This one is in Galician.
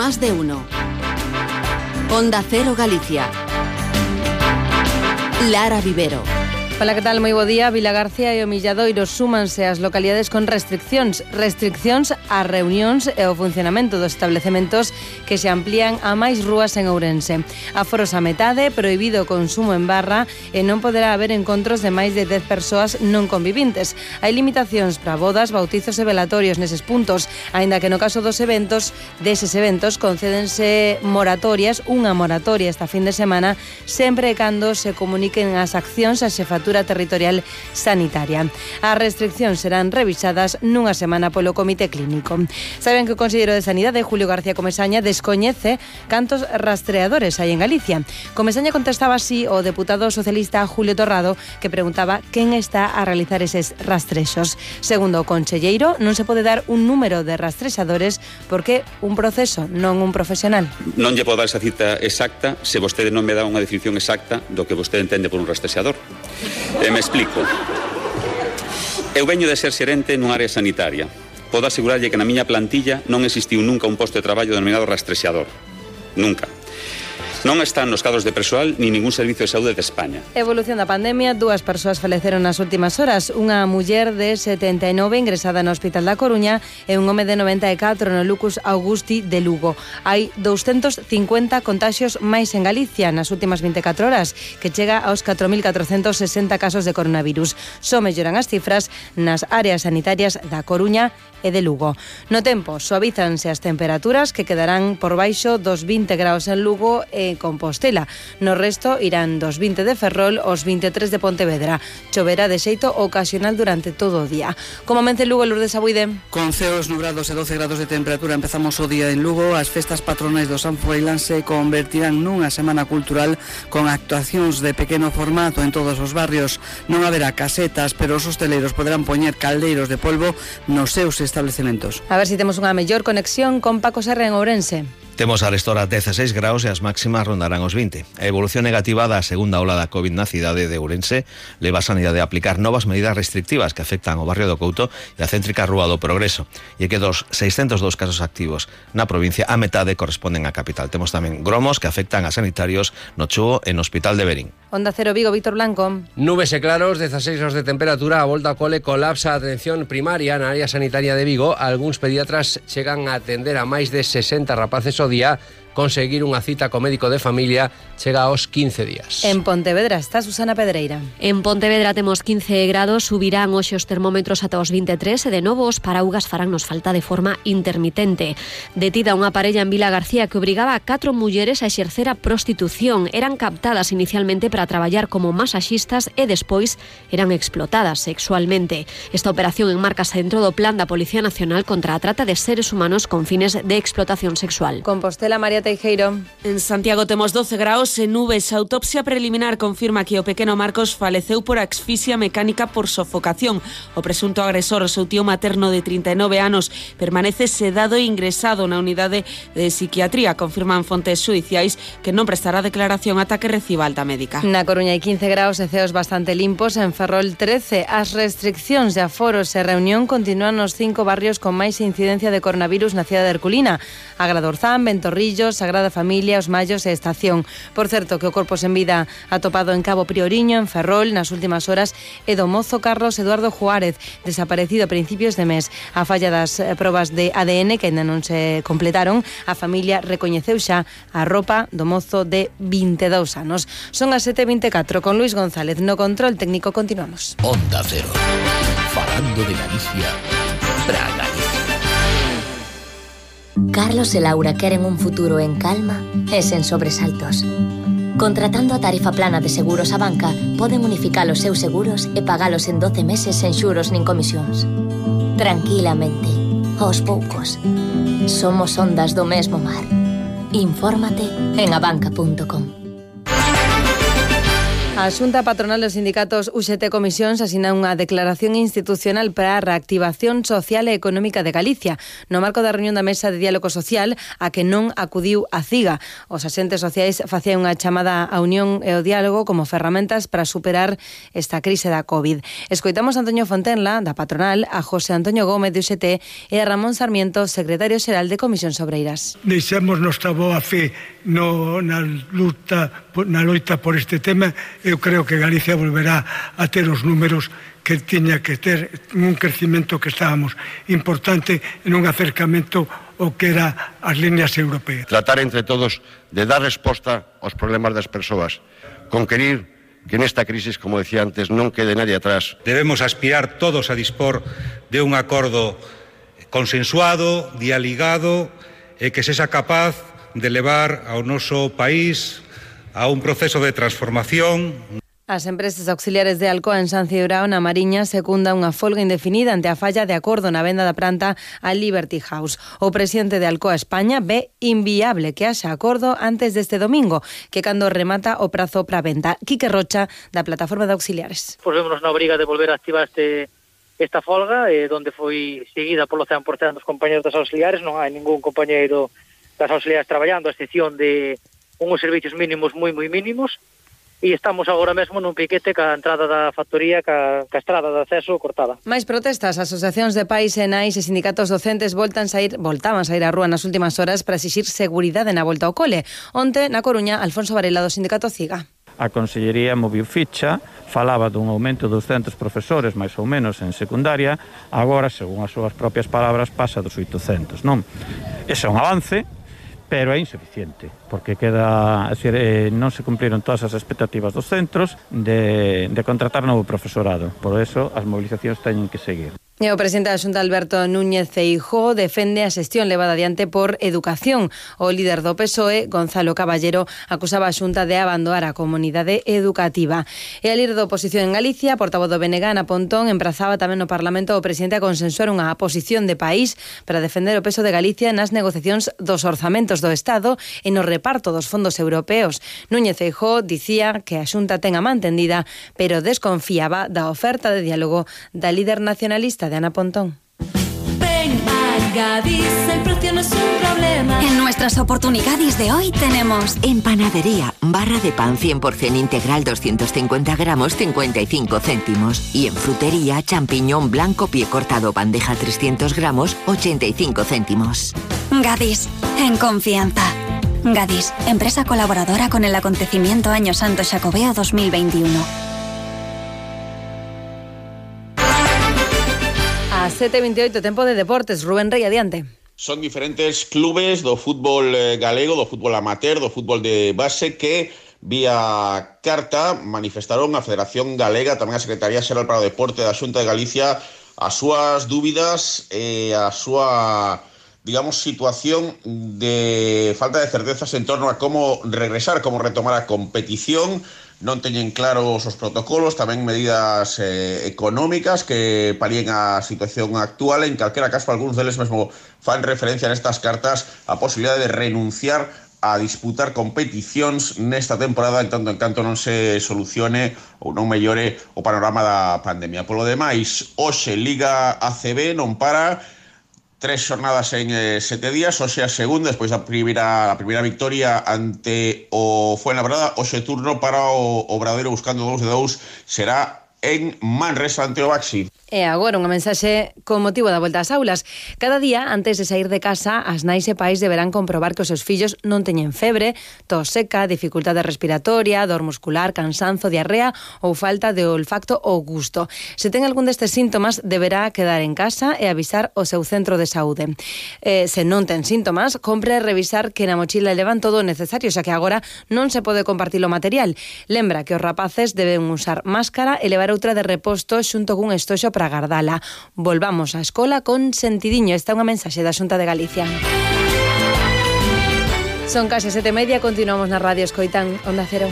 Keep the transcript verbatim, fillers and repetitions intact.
Más de uno. Onda Cero Galicia. Lara Vivero. Hola, que tal? Moi bo día. Vilagarcía e o Milladoiro súmanse as localidades con restriccións. Restriccións ás reunións e ao funcionamento dos establecementos que se amplían a máis rúas en Ourense. Aforos a metade, prohibido o consumo en barra e non poderá haber encontros de máis de dez persoas non convivintes. Hai limitacións para bodas, bautizos e velatorios neses puntos, aínda que no caso dos eventos, deses eventos, concédense moratorias, unha moratoria esta fin de semana, sempre e cando se comuniquen as accións a xefatura territorial sanitaria. As restriccións serán revisadas nunha semana polo Comité Clínico. Saben que o conselleiro de Sanidade, Julio García Comesaña, descoñece cantos rastreadores hai en Galicia. Comesaña contestaba así o deputado socialista Julio Torrado, que preguntaba quen está a realizar eses rastrexos. Segundo o conselleiro, non se pode dar un número de rastrexadores porque un proceso, non un profesional. Non lle podo dar esa cita exacta se vostede non me dá unha definición exacta do que vostede entende por un rastrexador. E me explico. Eu veño de ser xerente nun área sanitaria. Podo asegurarlle que na miña plantilla non existiu nunca un posto de traballo denominado rastrexador. Nunca. Non están nos cadros de persoal ni ningún servicio de saúde de España. Evolución da pandemia, dúas persoas faleceron nas últimas horas. Unha muller de setenta e nove ingresada no Hospital da Coruña e un home de noventa e catro no Lucus Augusti de Lugo. Hai doscientos cincuenta contaxios máis en Galicia nas últimas vinte e catro horas, que chega aos catro mil catrocentos sesenta casos de coronavirus. Só melloran as cifras nas áreas sanitarias da Coruña e de Lugo. No tempo, suavízanse as temperaturas que quedarán por baixo dos vinte graus en Lugo e Compostela. No resto irán dos vinte de Ferrol aos vinte e tres de Pontevedra. Choverá de xeito ocasional durante todo o día. Como amence Lugo, Lourdes Abuide. Con ceos nubrados e doce grados de temperatura empezamos o día en Lugo. As festas patronais do San Froilán se convertirán nunha semana cultural con actuacións de pequeno formato en todos os barrios. Non haberá casetas, pero os hosteleiros poderán poñer caldeiros de polvo nos seus establecementos. A ver se si temos unha mellor conexión con Paco Serra en Ourense. Temos a restora dezasseis graus e as máximas rondarán os vinte. A evolución negativa da segunda ola da COVID na cidade de Ourense leva a Sanidade a aplicar novas medidas restrictivas que afectan o barrio do Couto e a céntrica Rúa do Progreso. E que dos seiscentos dos casos activos na provincia, a metade corresponden á capital. Temos tamén gromos que afectan a sanitarios no Chuo e no Hospital de Berín. Onda Cero Vigo, Víctor Blanco. Nubes e claros, dezasseis graus de temperatura, a volta ao cole colapsa a atención primaria na área sanitaria de Vigo. Algúns pediatras chegan a atender a máis de sesenta rapaces ao día. Conseguir unha cita co médico de familia chega aos quince días. En Pontevedra está Susana Pedreira. En Pontevedra temos quince grados, subirán hoxe os termómetros ata os vinte e tres e de novo os paraugas faránnos falta de forma intermitente. Detida unha parella en Vilagarcía que obrigaba a catro mulleres a exercer a prostitución. Eran captadas inicialmente para traballar como masaxistas e despois eran explotadas sexualmente. Esta operación enmarcase dentro do plan da Policía Nacional contra a trata de seres humanos con fines de explotación sexual. Compostela, María Teijeiro. En Santiago temos doce graus e nubes. A autopsia preliminar confirma que o pequeno Marcos faleceu por asfixia mecánica por sofocación. O presunto agresor, o seu tío materno de trinta e nove anos, permanece sedado e ingresado na unidade de psiquiatría. Confirman fontes xudiciais que non prestará declaración ata que reciba alta médica. Na Coruña hai quince graus e ceos bastante limpos. En Ferrol trece. As restriccións de aforos e reunión continúan nos cinco barrios con máis incidencia de coronavirus na cidade de Herculina. Agradorzán, Ventorrillos, Sagrada Familia, Os Mallos e Estación. Por certo, que o corpo sen vida atopado en Cabo Prioriño, en Ferrol, nas últimas horas, é do mozo Carlos Eduardo Juárez, desaparecido a principios de mes. A falla das probas de A D N, que ainda non se completaron, a familia recoñeceu xa a roupa do mozo de vinte e dous anos. Son as sete e vinte e catro, con Luis González no control técnico. Continuamos. Onda Cero, falando de Galicia, pra Galicia. Carlos e Laura queren un futuro en calma e sen sobresaltos. Contratando a tarifa plana de seguros a banca, poden unificar os seus seguros e pagalos en doce meses sen xuros nin comisións. Tranquilamente, aos poucos. Somos ondas do mesmo mar. Infórmate en abanca punto com. A Xunta Patronal dos Sindicatos U X T Comisións asina unha declaración institucional para a reactivación social e económica de Galicia no marco da reunión da Mesa de Diálogo Social a que non acudiu a CIGA. Os axentes sociais facían unha chamada á unión e ao diálogo como ferramentas para superar esta crise da COVID. Escoitamos a Antonio Fontenla, da patronal, a José Antonio Gómez de U X T e a Ramón Sarmiento, secretario xeral de Comisións Obreiras. Deixemos nosa boa fe no, na luta na loita por este tema. Eu creo que Galicia volverá a ter os números que tiña que ter, un crecimento que estábamos importante en un acercamento ao que era as líneas europeas. Tratar entre todos de dar resposta aos problemas das persoas, conquerir que nesta crisis, como decía antes, non quede nadie atrás. Debemos aspirar todos a dispor de un acordo consensuado, dialigado e que sexa capaz de levar ao noso país a un proceso de transformación. As empresas auxiliares de Alcoa en San Cibrao, na Mariña, secunda unha folga indefinida ante a falla de acordo na venda da planta a Liberty House. O presidente de Alcoa España ve inviable que haxa acordo antes deste domingo, que cando remata o prazo para venta. Quique Rocha, da plataforma de auxiliares. Pois vémonos na obriga de volver a activar este esta folga, eh, donde foi seguida polo cen por cento dos compañeros das auxiliares. Non hai ningún compañeiro das auxiliares traballando, a excepción de unhos servicios mínimos moi moi mínimos, e estamos agora mesmo nun piquete ca entrada da factoría, ca, ca estrada de acceso cortada. Mais protestas, asociacións de pais e nais e sindicatos docentes voltan sair, voltaban sair á rúa nas últimas horas para exixir seguridade na volta ao cole. Onte, na Coruña, Alfonso Varela do sindicato CIGA. A Consellería moviu ficha, falaba dun aumento de douscentos profesores, máis ou menos, en secundaria, agora, según as súas propias palabras, pasa dos oitocentos, non? Ese é un avance, pero é insuficiente, porque queda, é dicir, eh, non se cumpriron todas as expectativas dos centros de, de contratar novo profesorado. Por eso, as movilizacións teñen que seguir. E o presidente da Xunta, Alberto Núñez Feijóo, defende a xestión levada adiante por Educación. O líder do P S O E, Gonzalo Caballero, acusaba a Xunta de abandonar a comunidade educativa. E a líder da oposición en Galicia, portavoz do B N G, Ana Pontón, emprazaba tamén no Parlamento o presidente a consensuar unha posición de país para defender o peso de Galicia nas negociacións dos orzamentos do Estado e no reparto dos fondos europeos. Núñez Feijóo dicía que a Xunta ten a man tendida, pero desconfiaba da oferta de diálogo da líder nacionalista de Ana Pontón. Ven a Gadis, el precio no es un problema. En nuestras oportunidades de hoy tenemos en panadería, barra de pan cien por ciento integral doscientos cincuenta gramos, cincuenta y cinco céntimos. Y en frutería, champiñón blanco pie cortado bandeja trescientos gramos, ochenta y cinco céntimos. Gadis, en confianza. Gadis, empresa colaboradora con el acontecimiento Año Santo Xacobeo dos mil veintiuno. A sete e veintioito, tempo de deportes. Rubén Rey, adiante. Son diferentes clubes do fútbol galego, do fútbol amateur, do fútbol de base que vía carta manifestaron a Federación Galega, tamén a Secretaría Xeral para o Deporte da Xunta de Galicia, as súas dúbidas e a súa, digamos, situación de falta de certezas en torno a como regresar, como retomar a competición. Non teñen claros os protocolos, tamén medidas eh, económicas que palien a situación actual. En calquera caso, algúns deles mesmo fan referencia nestas cartas a posibilidade de renunciar a disputar competicións nesta temporada en tanto en canto non se solucione ou non mellore o panorama da pandemia. Polo demais, hoxe Liga A C B non para, tres xornadas en eh, sete días, hoxe a segunda, despois da primeira, a primeira victoria ante o Fuenlabrada. Hoxe turno para o Obradoiro buscando dous de dous, será en Manresa ante o Baxi. E agora unha mensaxe con motivo da volta ás aulas. Cada día, antes de sair de casa, as nais e pais deberán comprobar que os seus fillos non teñen febre, tos seca, dificultade respiratoria, dor muscular, cansanzo, diarrea ou falta de olfacto ou gusto. Se ten algún destes síntomas, deberá quedar en casa e avisar o seu centro de saúde. Eh, se non ten síntomas, compre revisar que na mochila levan todo o necesario, xa que agora non se pode compartir o material. Lembra que os rapaces deben usar máscara e levar outra de reposto xunto cun estoxo para gardala. Volvamos á escola con sentidiño. Esta é unha mensaxe da Xunta de Galicia. Son case sete e media, continuamos na radio, escoitan Onda Cero.